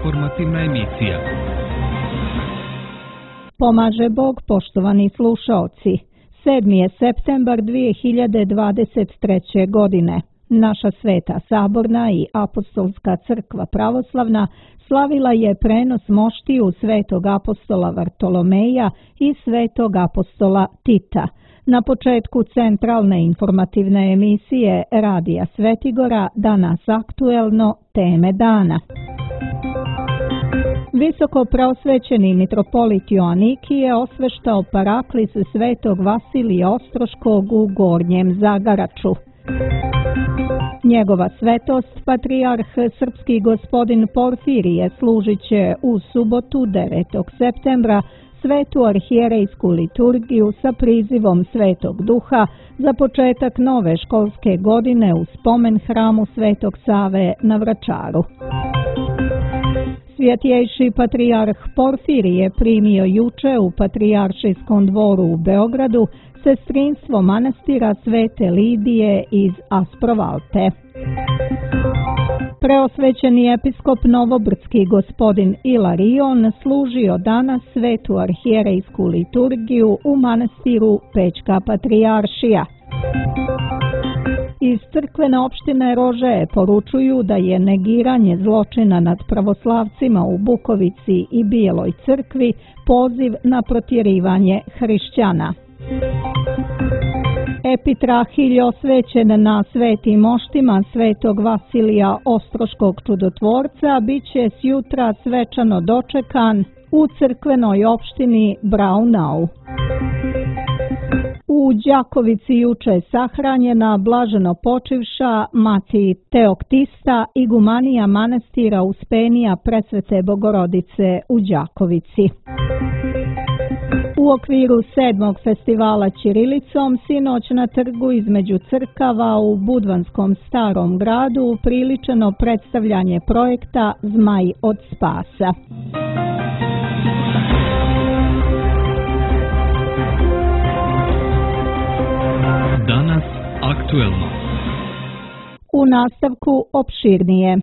Informativna emisija. Pomaže Bog, poštovani slušaoci. 7. je septembar 2023. godine. Naša Sveta Saborna i Apostolska crkva pravoslavna slavila je prenos moštiju svetog apostola Vartolomeja i svetog apostola Tita. Na početku centralne informativne emisije Radija Svetigora danas aktuelno teme dana. Visoko preosvećeni mitropolit Joanikije osveštao paraklis svetog Vasilija Ostroškog u Gornjem Zagaraču. Njegova svetost, patrijarh srpski gospodin Porfirije, služit će u subotu 9. septembra svetu arhijerejsku liturgiju sa prizivom Svetog Duha za početak nove školske godine u spomen hramu Svetog Save na Vračaru. Svjetjejši patrijarh Porfirije primio juče u Patrijaršijskom dvoru u Beogradu sestrinstvo manastira Svete Lidije iz Asprovalte. Preosvećeni episkop Novobrdski gospodin Ilarion služio danas svetu arhijerejsku liturgiju u manastiru Pećka Patrijaršija. Iz crkvene opštine Rože poručuju da je negiranje zločina nad pravoslavcima u Bukovici i Bijeloj crkvi poziv na protjerivanje hrišćana. Epitrahilj osvećen na svetim moštima svetog Vasilija Ostroškog čudotvorca bit će sjutra svečano dočekan u crkvenoj opštini Braunau. U Đakovici juče sahranjena blaženo počivša mati Teoktista, igumanija manastira Uspenija Presvete Bogorodice u Đakovici. U okviru 7. festivala ćirilicom sinoć na trgu između crkava u Budvanskom Starom gradu upriličeno predstavljanje projekta Zmaj od spasa. Danas aktuelno. U nastavku opširnije.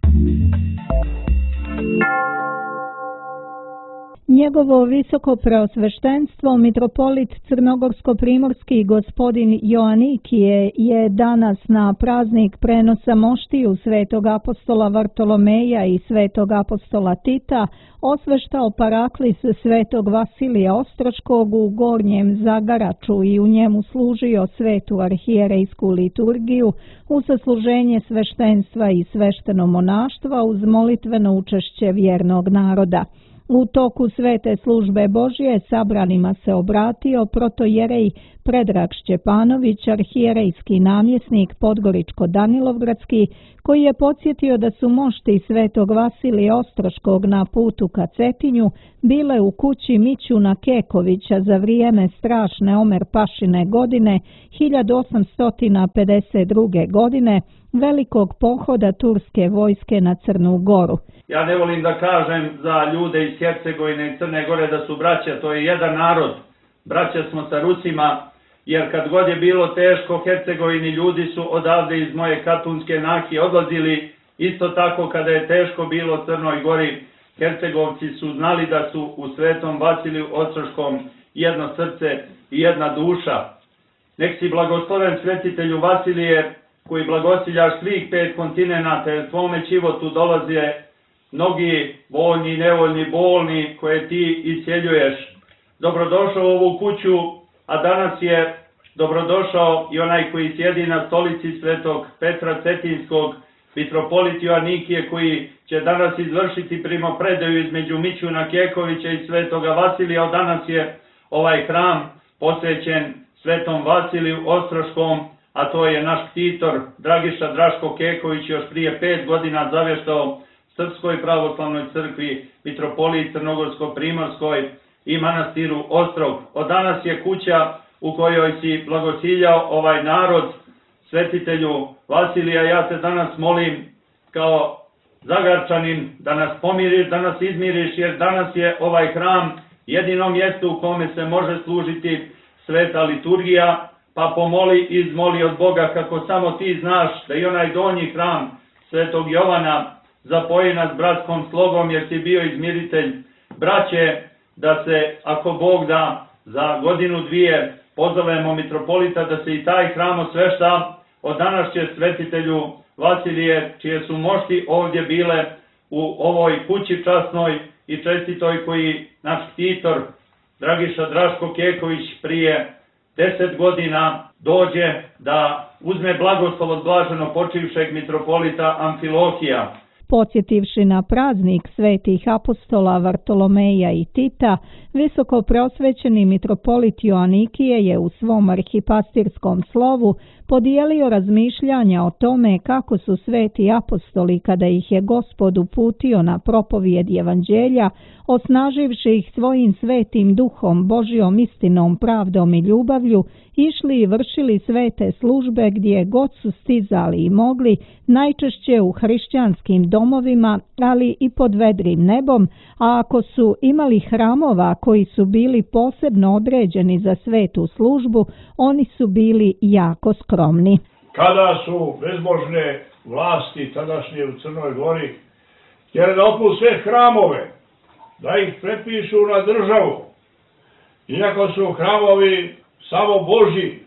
Njegovo visoko preosveštenstvo mitropolit crnogorsko-primorski gospodin Joanikije je danas na praznik prenosa moštiju svetog apostola Vartolomeja i svetog apostola Tita osveštao paraklis svetog Vasilija Ostroškog u Gornjem Zagaraču i u njemu služio svetu arhijerejsku liturgiju u sasluženje sveštenstva i svešteno monaštva uz molitveno učešće vjernog naroda. U toku svete službe Božje sabranima se obratio protojerej Predrag Šćepanović, arhijerejski namjesnik Podgoričko-Danilovgradski, koji je podsjetio da su mošti svetog Vasilija Ostroškog na putu ka Cetinju bile u kući Mićuna Kekovića za vrijeme strašne Omer Pašine godine 1852. godine, velikog pohoda turske vojske na Crnu Goru. Ja ne volim da kažem za ljude iz Hercegovine i Crne Gore da su braća, to je jedan narod. Braća smo sa Rusima, jer kad god je bilo teško Hercegovini, ljudi su odavde iz moje Katunske Nahije odlazili. Isto tako kada je teško bilo Crnoj Gori, Hercegovci su znali da su u svetom Vasiliju Ostroškom jedno srce i jedna duša. Nek si blagosloven svetitelju Vasilije, koji blagosiljaš svih 5 kontinenata, jer tvome životu dolaze mnogi voljni, nevoljni, bolni koje ti isceljuješ. Dobrodošao u ovu kuću, a danas je dobrodošao i onaj koji sjedi na stolici svetog Petra Cetinskog, mitropolit Joanikije, koji će danas izvršiti primopredaju između Mićuna Kekovića i svetoga Vasilija. Danas je ovaj hram posvećen svetom Vasiliju Ostroškom, a to je naš ktitor Dragiša Draško Keković još prije 5 godina zavještao Srpskoj pravoslavnoj crkvi, mitropoliji Crnogorsko-primorskoj i manastiru Ostrog. Od danas je kuća u kojoj si blagosiljao ovaj narod, svetitelju Vasilija. Ja te danas molim kao Zagarčanin da nas pomiriš, da nas izmiriš, jer danas je ovaj hram jedino mjesto u kome se može služiti sveta liturgija, pa pomoli i izmoli od Boga kako samo ti znaš da i onaj donji hram svetog Jovana zapoji nas bratskom slogom jer si bio izmiritelj braće, da se, ako Bog da, za godinu dvije pozovemo mitropolita da se i taj hram osvešta. Od danas će svetitelju Vasilije, čije su mošti ovdje bile u ovoj kući časnoj i čestitoj, koji naš ktitor Dragiša Draško Keković prije 10 godina dođe da uzme blagoslov od blaženo počivšeg mitropolita Amfilohija. Podsjetivši na praznik svetih apostola Vartolomeja i Tita, visoko preosvećeni mitropolit Joanikije je u svom arhipastirskom slovu podijelio razmišljanja o tome kako su sveti apostoli, kada ih je Gospod uputio na propovijed evanđelja, osnaživši ih svojim svetim duhom, Božjom istinom, pravdom i ljubavlju, išli i vršili svete službe gdje god su stizali i mogli, najčešće u hrišćanskim domovima, ali i pod vedrim nebom, a ako su imali hramova koji su bili posebno određeni za svetu službu, oni su bili jako skromni. Kada su bezbožne vlasti tadašnje u Crnoj Gori htjeli da otmu sve hramove, da ih prepišu na državu, iako su hramovi samo Božji,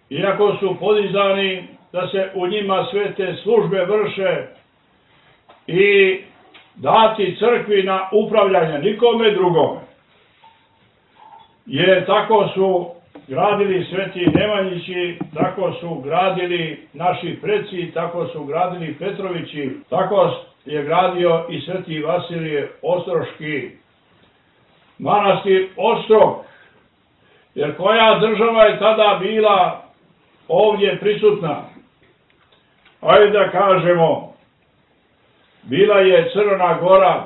iako su podizani da se u njima sve te službe vrše i dati crkvi na upravljanje, nikome drugome. Jer tako su gradili sveti Nemanjići, tako su gradili naši preci, tako su gradili Petrovići, tako je gradio i sveti Vasilije Ostroški. Manastir Ostrog, jer koja država je tada bila ovdje prisutna? Ajde da kažemo, bila je Crna Gora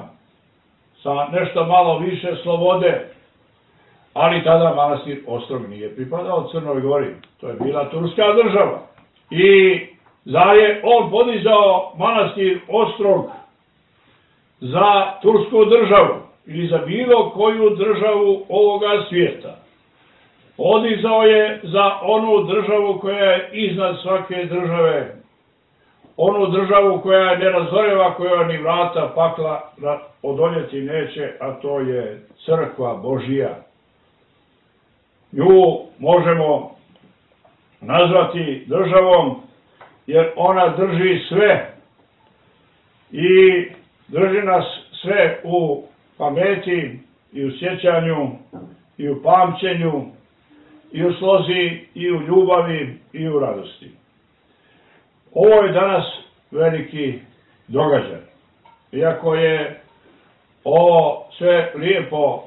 sa nešto malo više slobode, ali tada manastir Ostrog nije pripadao Crnoj Gori. To je bila turska država. I zar je on podizao manastir Ostrog za tursku državu ili za bilo koju državu ovoga svijeta? Podizao je za onu državu koja je iznad svake države, onu državu koja je nerazoreva, koja ni vrata pakla odoljeti neće, a to je crkva Božija. Nju možemo nazvati državom jer ona drži sve i drži nas sve u pameti i u sjećanju i u pamćenju i u slozi i u ljubavi i u radosti. Ovo je danas veliki događaj. Iako je ovo sve lijepo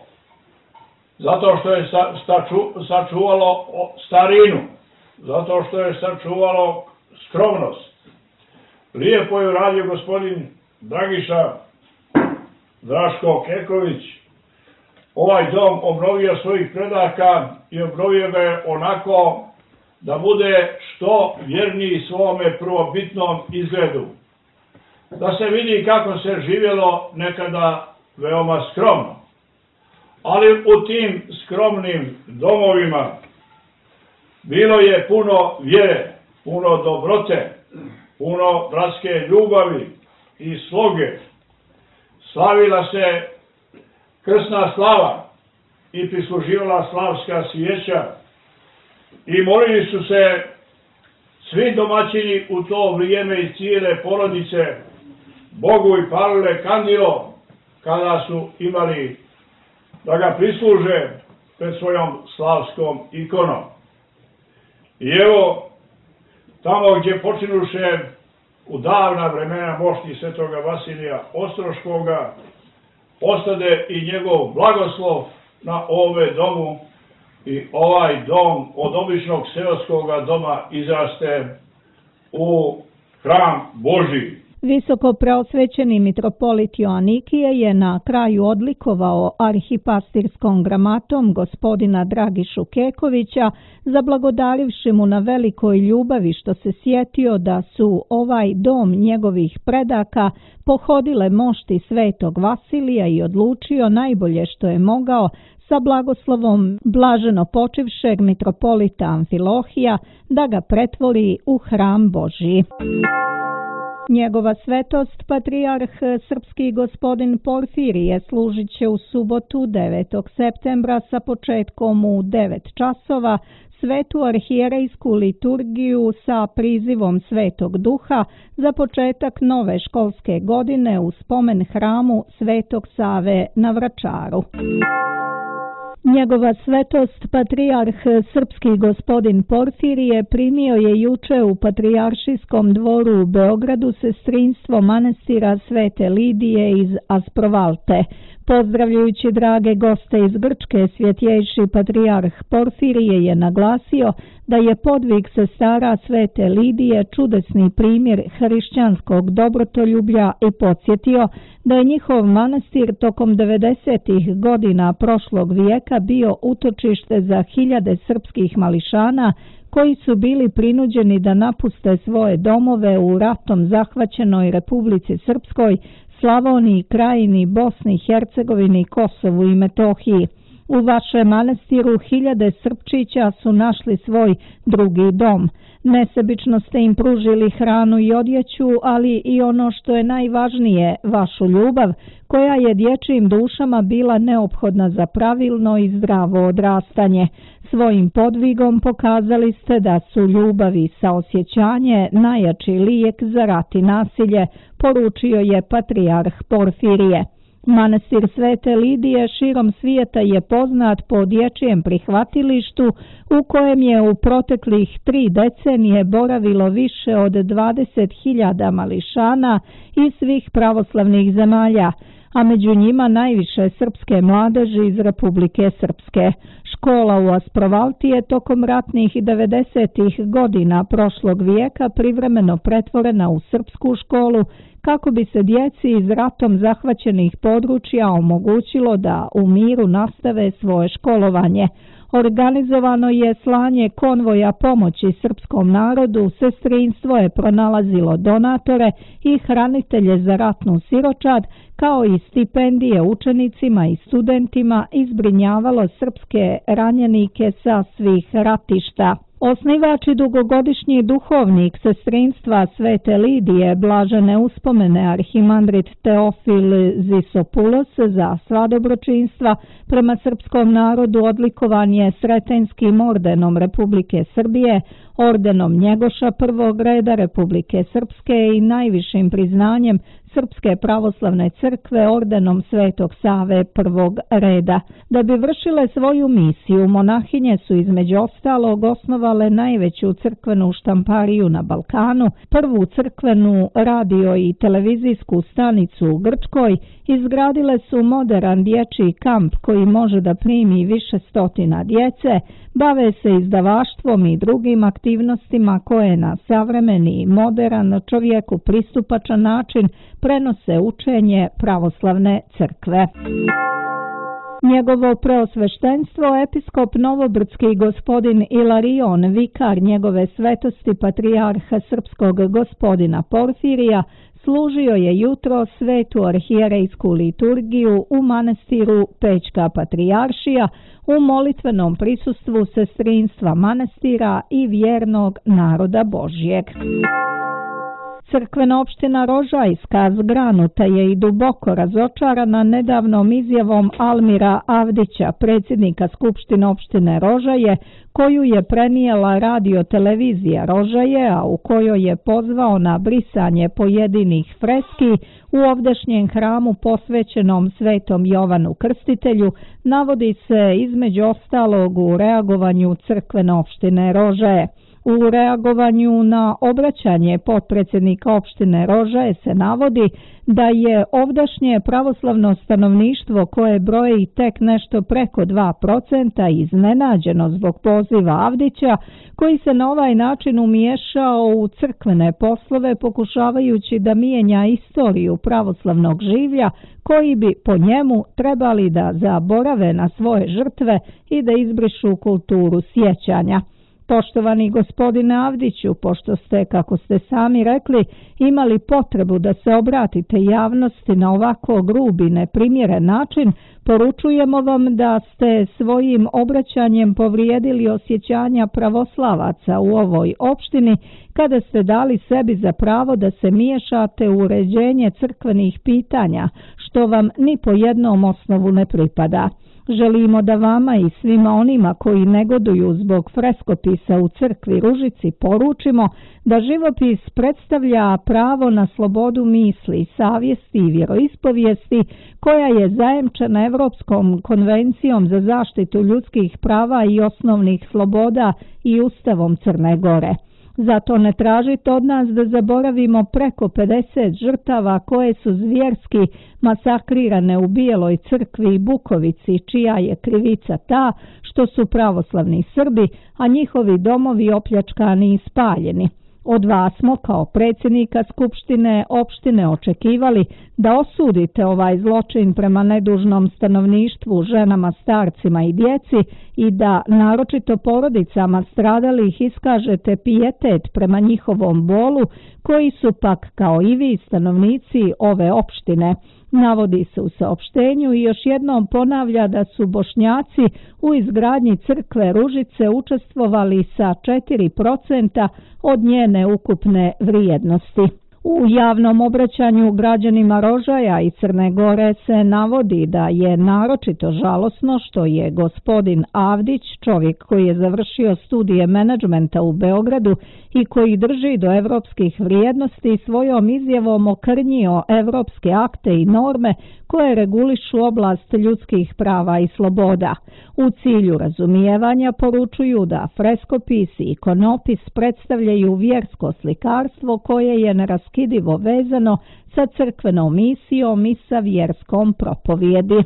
zato što je sačuvalo starinu, zato što je sačuvalo skromnost. Lijepo je uradio gospodin Dragiša Draško Keković. Ovaj dom obnovio svojih predaka i obnovio ga je onako da bude što vjerniji svome prvobitnom izgledu. Da se vidi kako se živjelo nekada veoma skromno. Ali u tim skromnim domovima bilo je puno vjere, puno dobrote, puno bratske ljubavi i sloge. Slavila se krsna slava i prisluživala slavska svijeća i molili su se svi domaćini u to vrijeme i cijele porodice Bogu i palile kandilo kada su imali da ga prisluže pred svojom slavskom ikonom. I evo, tamo gdje počinuše u davna vremena mošti svetoga Vasilija Ostroškoga, ostade i njegov blagoslov na ove domu i ovaj dom od običnog seoskoga doma izraste u hram Božji. Visoko preosvećeni mitropolit Joanikije je na kraju odlikovao arhipastirskom gramatom gospodina Dragišu Kekovića, zablagodarivši mu na velikoj ljubavi što se sjetio da su ovaj dom njegovih predaka pohodile mošti svetog Vasilija i odlučio najbolje što je mogao sa blagoslovom blaženo počivšeg mitropolita Amfilohija da ga pretvori u hram Božji. Njegova svetost, patrijarh srpski gospodin Porfirije, služit će u subotu 9. septembra sa početkom u 9 časova svetu arhijerejsku liturgiju sa prizivom Svetog Duha za početak nove školske godine u spomen hramu Svetog Save na Vračaru. Njegova svetost, patrijarh srpski gospodin Porfirije, primio je juče u Patrijaršijskom dvoru u Beogradu sestrinstvo manastira Svete Lidije iz Asprovalte. Pozdravljajući drage goste iz Grčke, svjetjejši patrijarh Porfirije je naglasio da je podvig sestara Svete Lidije čudesni primjer hrišćanskog dobrotoljublja i podsjetio da je njihov manastir tokom 90. godina prošlog vijeka bio utočište za hiljade srpskih mališana koji su bili prinuđeni da napuste svoje domove u ratom zahvaćenoj Republici Srpskoj, Slavoniji, Krajini, Bosni, Hercegovini, Kosovu i Metohiji. U vašem manastiru hiljade Srpčića su našli svoj drugi dom. Nesebično ste im pružili hranu i odjeću, ali i ono što je najvažnije, vašu ljubav, koja je dječjim dušama bila neophodna za pravilno i zdravo odrastanje. Svojim podvigom pokazali ste da su ljubav i saosjećanje najjači lijek za rat i nasilje, poručio je patrijarh Porfirije. Manastir Svete Lidije širom svijeta je poznat po dječjem prihvatilištu u kojem je u proteklih 3 decenije boravilo više od 20.000 mališana iz svih pravoslavnih zemalja, a među njima najviše srpske mladeži iz Republike Srpske. Škola u Asprovalti je tokom ratnih 90. godina prošlog vijeka privremeno pretvorena u srpsku školu kako bi se djeci iz ratom zahvaćenih područja omogućilo da u miru nastave svoje školovanje. Organizovano je slanje konvoja pomoći srpskom narodu, sestrinstvo je pronalazilo donatore i hranitelje za ratnu siročad, kao i stipendije učenicima i studentima i zbrinjavalo srpske ranjenike sa svih ratišta. Osnivač i dugogodišnji duhovnik sestrinstva Svete Lidije, blažene uspomene arhimandrit Teofil Zisopulos za sva dobročinstva prema srpskom narodu odlikovan je Sretenjskim ordenom Republike Srbije, ordenom Njegoša prvog reda Republike Srpske i najvišim priznanjem Srpske pravoslavne crkve ordenom Svetog Save prvog reda. Da bi vršile svoju misiju, monahinje su između ostalog osnovale najveću crkvenu štampariju na Balkanu, prvu crkvenu radio i televizijsku stanicu u Grčkoj, izgradile su moderan dječji kamp koji može da primi više stotina djece, bave se izdavaštvom i drugim aktivnostima koje na savremeni i modern čovjeku pristupačan način prenose učenje pravoslavne crkve. Njegovo preosveštenstvo, episkop Novobrdski gospodin Ilarion, vikar njegove svetosti patrijarha srpskog gospodina Porfirija, služio je jutro svetu arhijerejsku liturgiju u manastiru Pećka patrijaršija u molitvenom prisustvu sestrinstva manastira i vjernog naroda Božjeg. Crkvena opština Rožajska zgranuta je i duboko razočarana nedavnom izjavom Almira Avdića, predsjednika Skupštine opštine Rožaje, koju je prenijela radio-televizija Rožaje, a u kojoj je pozvao na brisanje pojedinih freski u ovdašnjem hramu posvećenom Svetom Jovanu Krstitelju, navodi se između ostalog u reagovanju crkvene opštine Rožaje. U reagovanju na obraćanje potpredsjednika opštine Rožaje se navodi da je ovdašnje pravoslavno stanovništvo koje broji tek nešto preko 2% iznenađeno zbog poziva Avdića, koji se na ovaj način umiješao u crkvene poslove pokušavajući da mijenja istoriju pravoslavnog življa koji bi po njemu trebali da zaborave na svoje žrtve i da izbrišu kulturu sjećanja. Poštovani gospodine Avdiću, pošto ste, kako ste sami rekli, imali potrebu da se obratite javnosti na ovako grub i neprimjeren način, poručujemo vam da ste svojim obraćanjem povrijedili osjećanja pravoslavaca u ovoj opštini kada ste dali sebi za pravo da se miješate u uređenje crkvenih pitanja, što vam ni po jednom osnovu ne pripada. Želimo da vama i svima onima koji negoduju zbog freskopisa u crkvi Ružici poručimo da živopis predstavlja pravo na slobodu misli, savjesti i vjeroispovijesti koja je zajemčena Evropskom konvencijom za zaštitu ljudskih prava i osnovnih sloboda i Ustavom Crne Gore. Zato ne tražite od nas da zaboravimo preko 50 žrtava koje su zvjerski masakrirane u Bijeloj crkvi i Bukovici, čija je krivica ta što su pravoslavni Srbi, a njihovi domovi opljačkani i spaljeni. Od vas smo kao predsjednika Skupštine opštine očekivali da osudite ovaj zločin prema nedužnom stanovništvu, ženama, starcima i djeci i da naročito porodicama stradalih iskažete pijetet prema njihovom bolu, koji su pak kao i vi stanovnici ove opštine. Navodi se u saopštenju i još jednom ponavlja da su Bošnjaci u izgradnji crkve Ružice učestvovali sa 4% od njene ukupne vrijednosti. U javnom obraćanju građanima Rožaja i Crne Gore se navodi da je naročito žalosno što je gospodin Avdić, čovjek koji je završio studije menadžmenta u Beogradu i koji drži do evropskih vrijednosti, svojom izjavom okrnjio evropske akte i norme koje regulišu oblast ljudskih prava i sloboda. U cilju razumijevanja poručuju da freskopis i ikonopis predstavljaju vjersko slikarstvo koje je neraskidivo vezano sa crkvenom misijom i sa vjerskom propovijedi.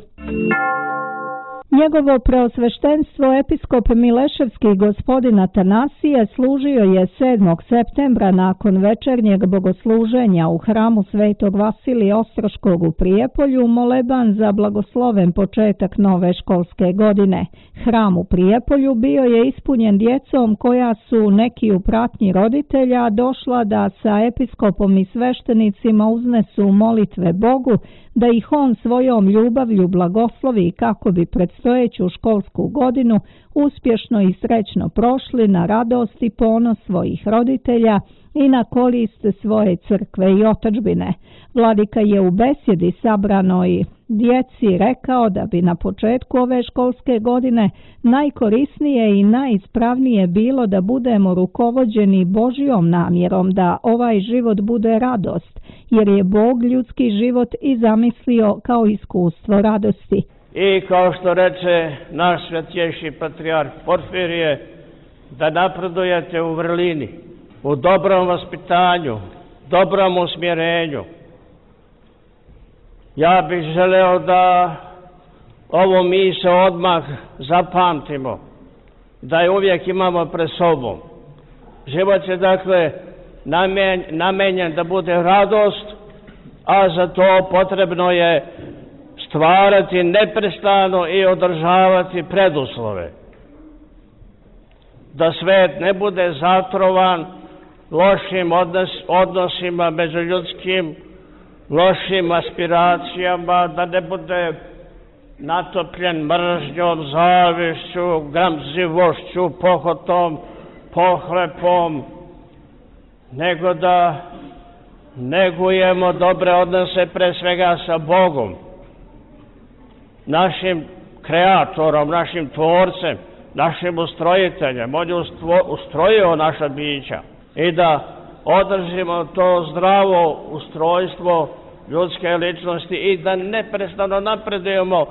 Njegovo preosveštenstvo episkop Mileševski gospodin Atanasije služio je 7. septembra nakon večernjeg bogosluženja u hramu Svetog Vasilija Ostroškog u Prijepolju moleban za blagosloven početak nove školske godine. Hram u Prijepolju bio je ispunjen djecom koja su neki u pratnji roditelja došla da sa episkopom i sveštenicima uznesu molitve Bogu, da ih on svojom ljubavlju blagoslovi kako bi predstojeću školsku godinu uspješno i srećno prošli na radost i ponos svojih roditelja i na korist svoje crkve i otadžbine. Vladika je u besjedi sabranoj djeci rekao da bi na početku ove školske godine najkorisnije i najispravnije bilo da budemo rukovođeni Božjom namjerom da ovaj život bude radost, jer je Bog ljudski život i zamislio kao iskustvo radosti. I kao što reče naš svetjejši patrijarh Porfirije, da napredujete u vrlini, u dobrom vaspitanju, dobrom usmjerenju. Ja bih želeo da ovo misao odmah zapamtimo, da je uvijek imamo pred sobom. Život je dakle namenjen da bude radost, a za to potrebno je stvarati neprestano i održavati preduslove. Da svet ne bude zatrovan lošim odnosima međuljudskim, lošim aspiracijama, da ne bude natopljen mržnjom, zavišću, gramzivošću, pohotom, pohlepom, nego da negujemo dobre odnose pre svega sa Bogom, našim kreatorom, našim tvorcem, našim ustrojiteljem. On je ustrojio naša bića i da održimo to zdravo ustrojstvo ljudske ličnosti i da neprestano napredujemo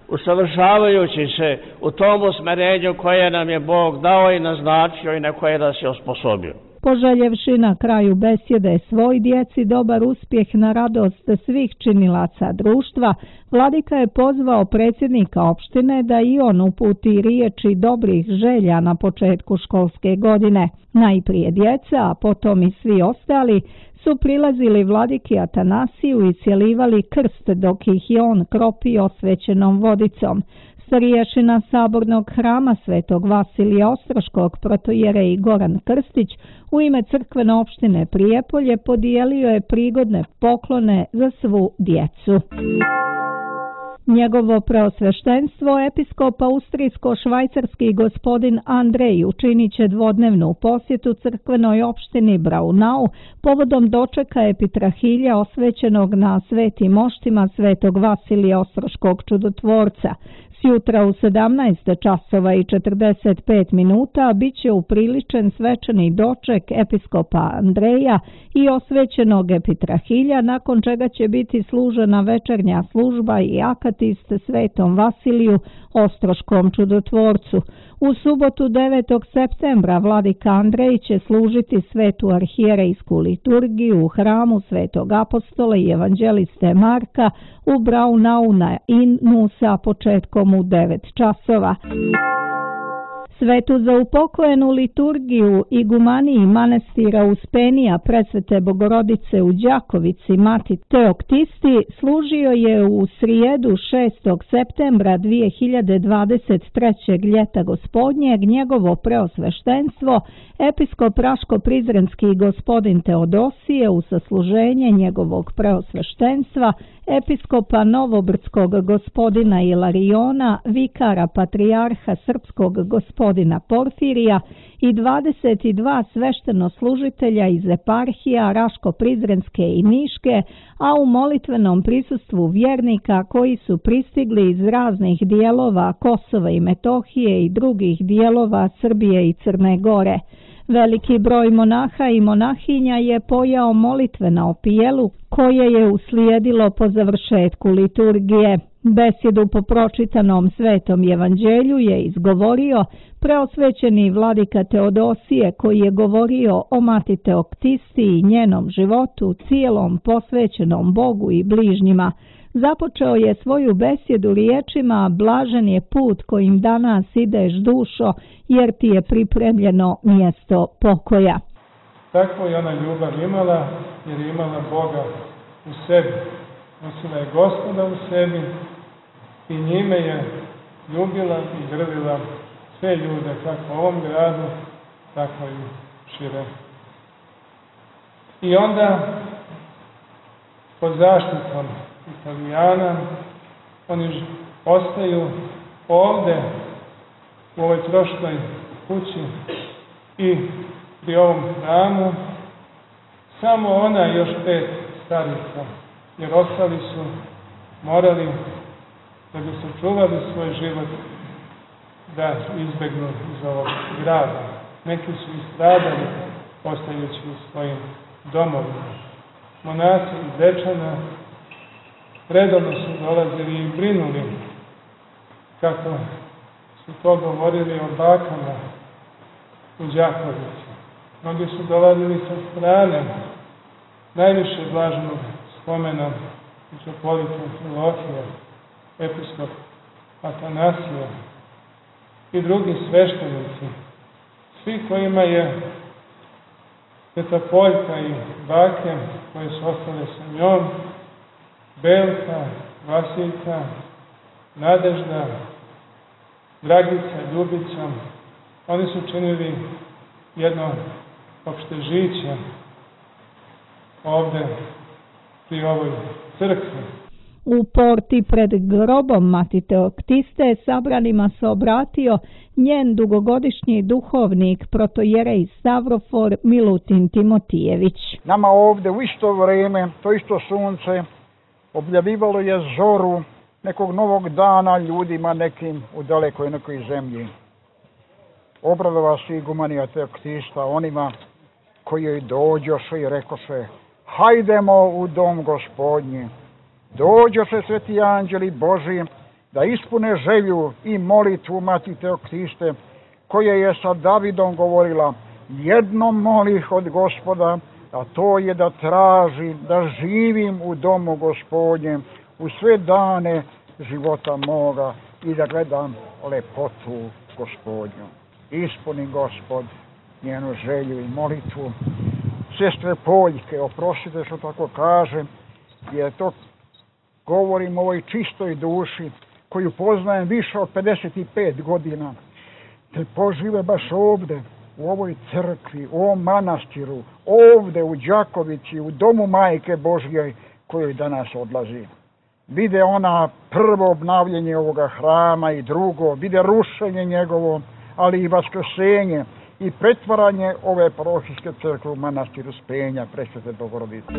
usavršavajući se u tom usmjerenju koje nam je Bog dao i naznačio i na koje nas je osposobio. Poželjevši na kraju besjede svoj djeci dobar uspjeh na radost svih činilaca društva, vladika je pozvao predsjednika opštine da i on uputi riječi dobrih želja na početku školske godine. Najprije djeca, a potom i svi ostali su prilazili vladiki Atanasiju i cjelivali krst dok ih je on kropio osvećenom vodicom. Starješina Sabornog hrama Svetog Vasilija Ostroškog protojerej Goran Krstić u ime crkvene opštine Prijepolje podijelio je prigodne poklone za svu djecu. Njegovo preosveštenstvo episkop austrijsko-švajcarski gospodin Andrej učinit će dvodnevnu posjetu crkvenoj opštini Braunau povodom dočeka epitrahilja osvećenog na svetim moštima Svetog Vasilija Ostroškog čudotvorca. Sjutra u 17 časova i 45 minuta bit će upriličen svečani doček episkopa Andreja i osvećenog epitrahilja, nakon čega će biti služena večernja služba i akatist Svetom Vasiliju Ostroškom čudotvorcu. U subotu 9. septembra vladika Andrej će služiti svetu arhijerejsku liturgiju u hramu Svetog apostola i evanđeliste Marka u Braunau na Innu sa početkom u 9 časova. Svetu za upokojenu liturgiju igumaniji manastira Uspenija Presvete Bogorodice u Đakovici Mati Teoktisti služio je u srijedu 6. septembra 2023. ljeta gospodnjeg njegovo preosveštenstvo episkop Raško-Prizrenski gospodin Teodosije u sasluženje njegovog preosveštenstva episkopa Novobrdskog gospodina Ilariona, vikara patrijarha srpskog gospodina Porfirija i 22 sveštenoslužitelja iz eparhija Raško-Prizrenske i Niške, a u molitvenom prisustvu vjernika koji su pristigli iz raznih dijelova Kosova i Metohije i drugih dijelova Srbije i Crne Gore. Veliki broj monaha i monahinja je pojao molitve na opijelu koje je uslijedilo po završetku liturgije. Besedu po pročitanom Svetom evanđelju je izgovorio preosvećeni vladika Teodosije, koji je govorio o Mati Teoktisti i njenom životu cijelom posvećenom Bogu i bližnjima. Započeo je svoju besjedu riječima: blažen je put kojim danas ideš, dušo, jer ti je pripremljeno mjesto pokoja. Takvo je ona ljubav imala, jer je imala Boga u sebi. Nosila je Gospoda u sebi i njime je ljubila i grlila sve ljude, kako u ovom gradu, tako i šire. I onda, pod zaštitom Italijana, oni ostaju ovde, u ovoj troškoj kući i pri ovom hramu, samo ona i još 5 starica, jer ostali su morali, da bi sačuvali svoj život, da izbegnu iz ovog grada. Neki su istradali, ostajući u svojim domovima. Monasi iz Dečana redovno su dolazili i brinuli, kako su to govorili o bakama u Đakovici. Mnogi su dolazili sa strane, najviše blaženog spomena mitropolita Amfilohija, episkop Atanasija i drugi sveštenici, svi kojima je teta Poljka i bake koje su ostale sa njom, Belka, Vasiljka, Nadežda, Dragica, Ljubica, oni su činili jedno opštežiće ovde pri ovoj crkvi. U porti pred grobom Mati Teoktiste sabranima se obratio njen dugogodišnji duhovnik protojerej Stavrofor Milutin Timotijević. Nama ovde u isto vrijeme, to isto sunce, objavljivalo je zoru nekog novog dana ljudima nekim u dalekoj nekoj zemlji. Obradova se igumanija Teoktista onima koji joj dođoše i rekoše: hajdemo u dom Gospodnji. Dođoše sveti anđeli Boži da ispune želju i molitvu Mati Teoktiste, koja je sa Davidom govorila: jedno molih od Gospoda, a to je da tražim da živim u domu Gospodnjem u sve dane života moga i da gledam lepotu Gospodnju. Ispuni Gospod njenu želju i molitvu. Sestre Poljke, oprostite što tako kažem, jer to govorim o ovoj čistoj duši, koju poznajem više od 55 godina, da požive baš ovde, u ovoj crkvi, u ovom manastiru, ovde u Đakovici, u domu Majke Božje kojoj danas odlazi. Vide ona prvo obnavljanje ovoga hrama i drugo, vide rušenje njegovo, ali i vaskrsenje i pretvaranje ove parohijske crkve u manastir Uspenja Presvete Bogorodice.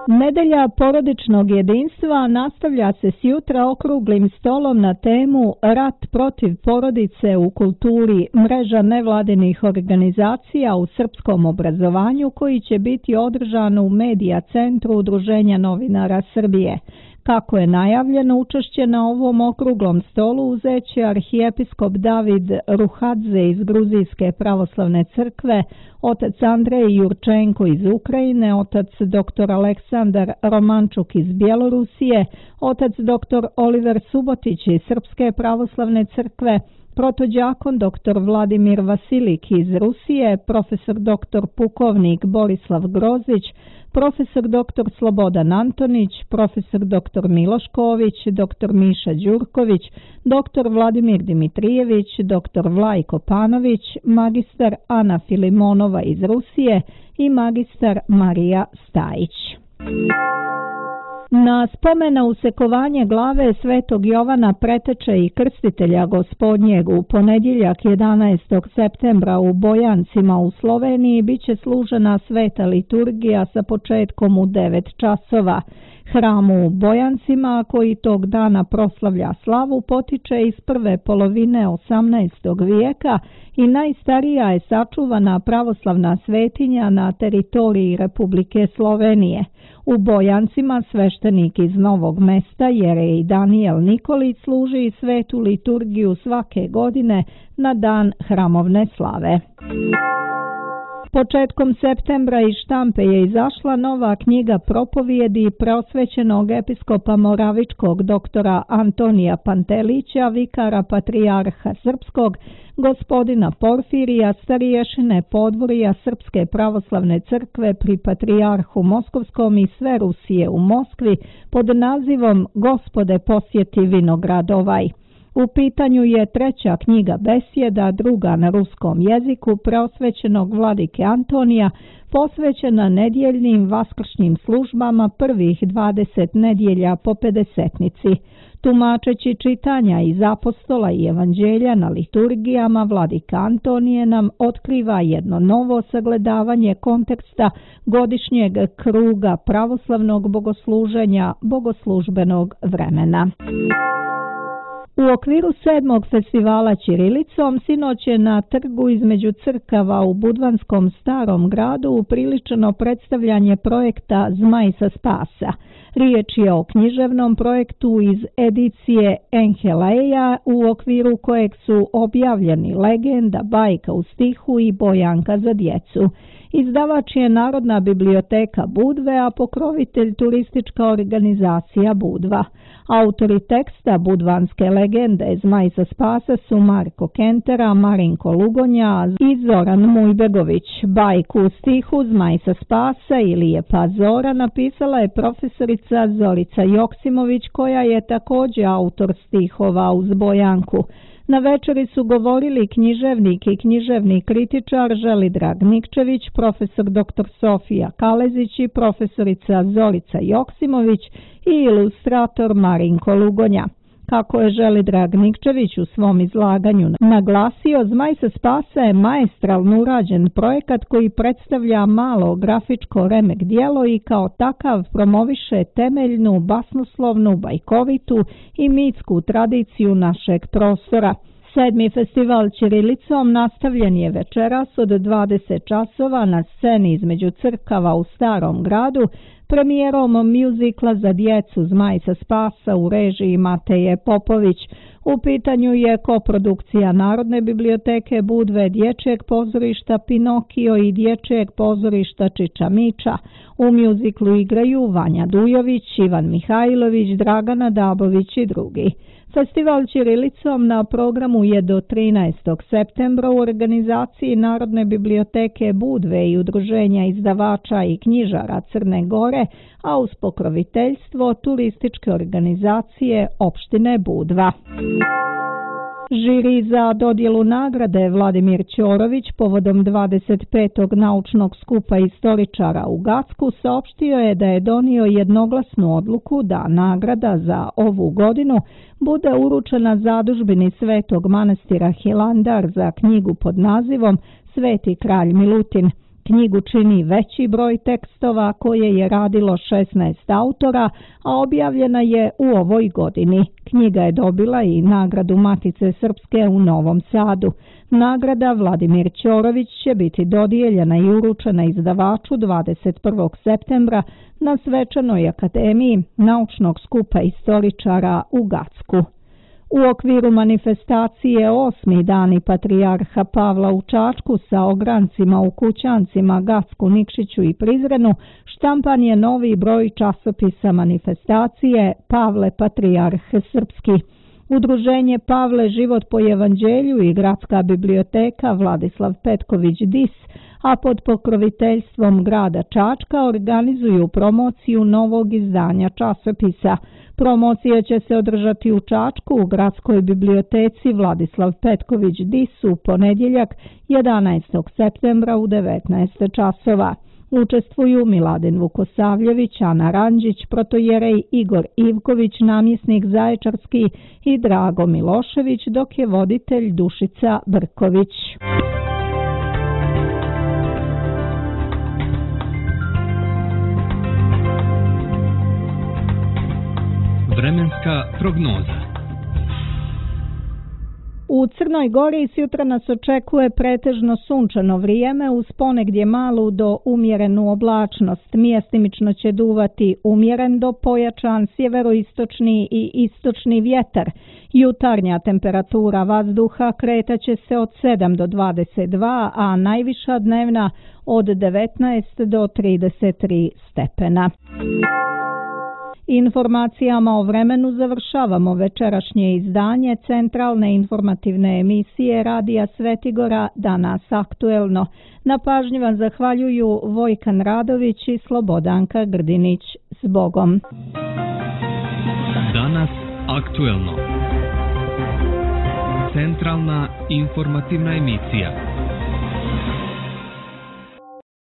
Nedelja porodičnog jedinstva nastavlja se sjutra okruglim stolom na temu Rat protiv porodice u kulturi, mreža nevladinih organizacija u srpskom obrazovanju, koji će biti održan u Medija centru Udruženja novinara Srbije. Kako je najavljeno, učešće na ovom okruglom stolu uzeće arhijepiskop David Ruhadze iz Gruzijske pravoslavne crkve, otac Andrej Jurčenko iz Ukrajine, otac dr. Aleksandar Romančuk iz Bjelorusije, otac dr. Oliver Subotić iz Srpske pravoslavne crkve, protođakon dr. Vladimir Vasilik iz Rusije, profesor dr. pukovnik Borislav Grozić, profesor dr. Slobodan Antonić, profesor dr. Miloš Ković, dr. Miša Đurković, dr. Vladimir Dimitrijević, dr. Vlajko Panović, magistar Ana Filimonova iz Rusije i magistar Marija Stajić. Na spomena usekovanje glave Svetog Jovana Preteče i Krstitelja Gospodnjeg u ponedjeljak 11. septembra u Bojancima u Sloveniji biće služena sveta liturgija sa početkom u 9 časova. Hram u Bojancima, koji tog dana proslavlja slavu, potiče iz prve polovine 18. vijeka i najstarija je sačuvana pravoslavna svetinja na teritoriji Republike Slovenije. U Bojancima sveštenik iz Novog Mesta, jerej Danijel Nikolić, služi svetu liturgiju svake godine na dan hramovne slave. Početkom septembra iz štampe je izašla nova knjiga propovijedi preosvećenog episkopa Moravičkog doktora Antonija Pantelića, vikara patrijarha srpskog, gospodina Porfirija, stariješine podvorja Srpske pravoslavne crkve pri patrijarhu Moskovskom i sve Rusije u Moskvi, pod nazivom Gospode posjeti vinograd ovaj. U pitanju je treća knjiga besjeda, druga na ruskom jeziku, preosvećenog vladike Antonija, posvećena nedjeljnim vaskršnjim službama prvih 20 nedjelja po pedesetnici. Tumačeći čitanja iz apostola i evanđelja na liturgijama, vladika Antonije nam otkriva jedno novo sagledavanje konteksta godišnjeg kruga pravoslavnog bogosluženja, bogoslužbenog vremena. U okviru 7. festivala ćirilicom sinoć je na trgu između crkava u Budvanskom Starom gradu upriličeno predstavljanje projekta Zmaj sa spasa. Riječ je o književnom projektu iz edicije Enheleja, u okviru kojeg su objavljeni legenda, bajka u stihu i bojanka za djecu. Izdavač je Narodna biblioteka Budve, a pokrovitelj turistička organizacija Budva. Autori teksta budvanske legende Zmaj sa spasa su Marko Kentera, Marinko Lugonja i Zoran Mujbegović. Bajku u stihu Zmaj sa spasa ili je pa Zora napisala je profesorica Zorica Joksimović, koja je također autor stihova uz bojanku. Na večeri su govorili književnik i književni kritičar Želidrag Nikčević, profesor dr. Sofija Kalezić i profesorica Zorica Joksimović i ilustrator Marinko Lugonja. Kako je Želidrag Nikčević u svom izlaganju naglasio, Zmaj sa spasa je maestralno urađen projekat koji predstavlja malo grafičko remek djelo i kao takav promoviše temeljnu, basnoslovnu, bajkovitu i mitsku tradiciju našeg prostora. 7. festival ćirilicom nastavljen je večeras od 20 časova na sceni između crkava u Starom gradu premijerom mjuzikla za djecu Zmaj sa spasa u režiji Mateje Popović. U pitanju je koprodukcija Narodne biblioteke Budve, Dječjeg pozorišta Pinokio i Dječjeg pozorišta Čiča Miča. U mjuziklu igraju Vanja Dujović, Ivan Mihajlović, Dragana Dabović i drugi. Festival ćirilicom na programu je do 13. septembra u organizaciji Narodne biblioteke Budve i Udruženja izdavača i knjižara Crne Gore, Gore, a uz pokroviteljstvo turističke organizacije opštine Budva. Žiri za dodjelu nagrade Vladimir Ćorović povodom 25. naučnog skupa istoričara u Gacku saopštio je da je donio jednoglasnu odluku da nagrada za ovu godinu bude uručena zadužbini Svetog manastira Hilandar za knjigu pod nazivom Sveti kralj Milutin. Knjigu čini veći broj tekstova koje je radilo 16 autora, a objavljena je u ovoj godini. Knjiga je dobila i nagradu Matice Srpske u Novom Sadu. Nagrada Vladimir Ćorović će biti dodijeljena i uručena izdavaču 21. septembra na Svečanoj akademiji naučnog skupa istoričara u Gacku. U okviru manifestacije 8. dani Patrijarha Pavla u Čačku sa ograncima u kućancima Gacku, Nikšiću i Prizrenu štampan je novi broj časopisa manifestacije Pavle Patrijarh Srpski. Udruženje Pavle život po evanđelju i Gradska biblioteka Vladislav Petković Dis, a pod pokroviteljstvom grada Čačka organizuju promociju novog izdanja časopisa. Promocija će se održati u Čačku u Gradskoj biblioteci Vladislav Petković Dis u ponedjeljak 11. septembra u 19 časova. Učestvuju Miladin Vukosavljević, Ana Ranđić, protojerej Igor Ivković, namjesnik Zaječarski i Drago Milošević, dok je voditelj Dušica Brković. Vremenska prognoza. U Crnoj Gori sutra nas očekuje pretežno sunčano vrijeme uz ponegdje malu do umjerenu oblačnost. Mjestimično će duvati umjeren do pojačan sjeveroistočni i istočni vjetar. Jutarnja temperatura vazduha kretaće se od 7 do 22, a najviša dnevna od 19 do 33 stepena. Informacijama o vremenu završavamo večerašnje izdanje centralne informativne emisije Radija Svetigora Danas aktuelno. Na pažnji vam zahvaljuju Vojkan Radović i Slobodanka Grdinić. S Bogom. Danas aktuelno. Centralna informativna emisija.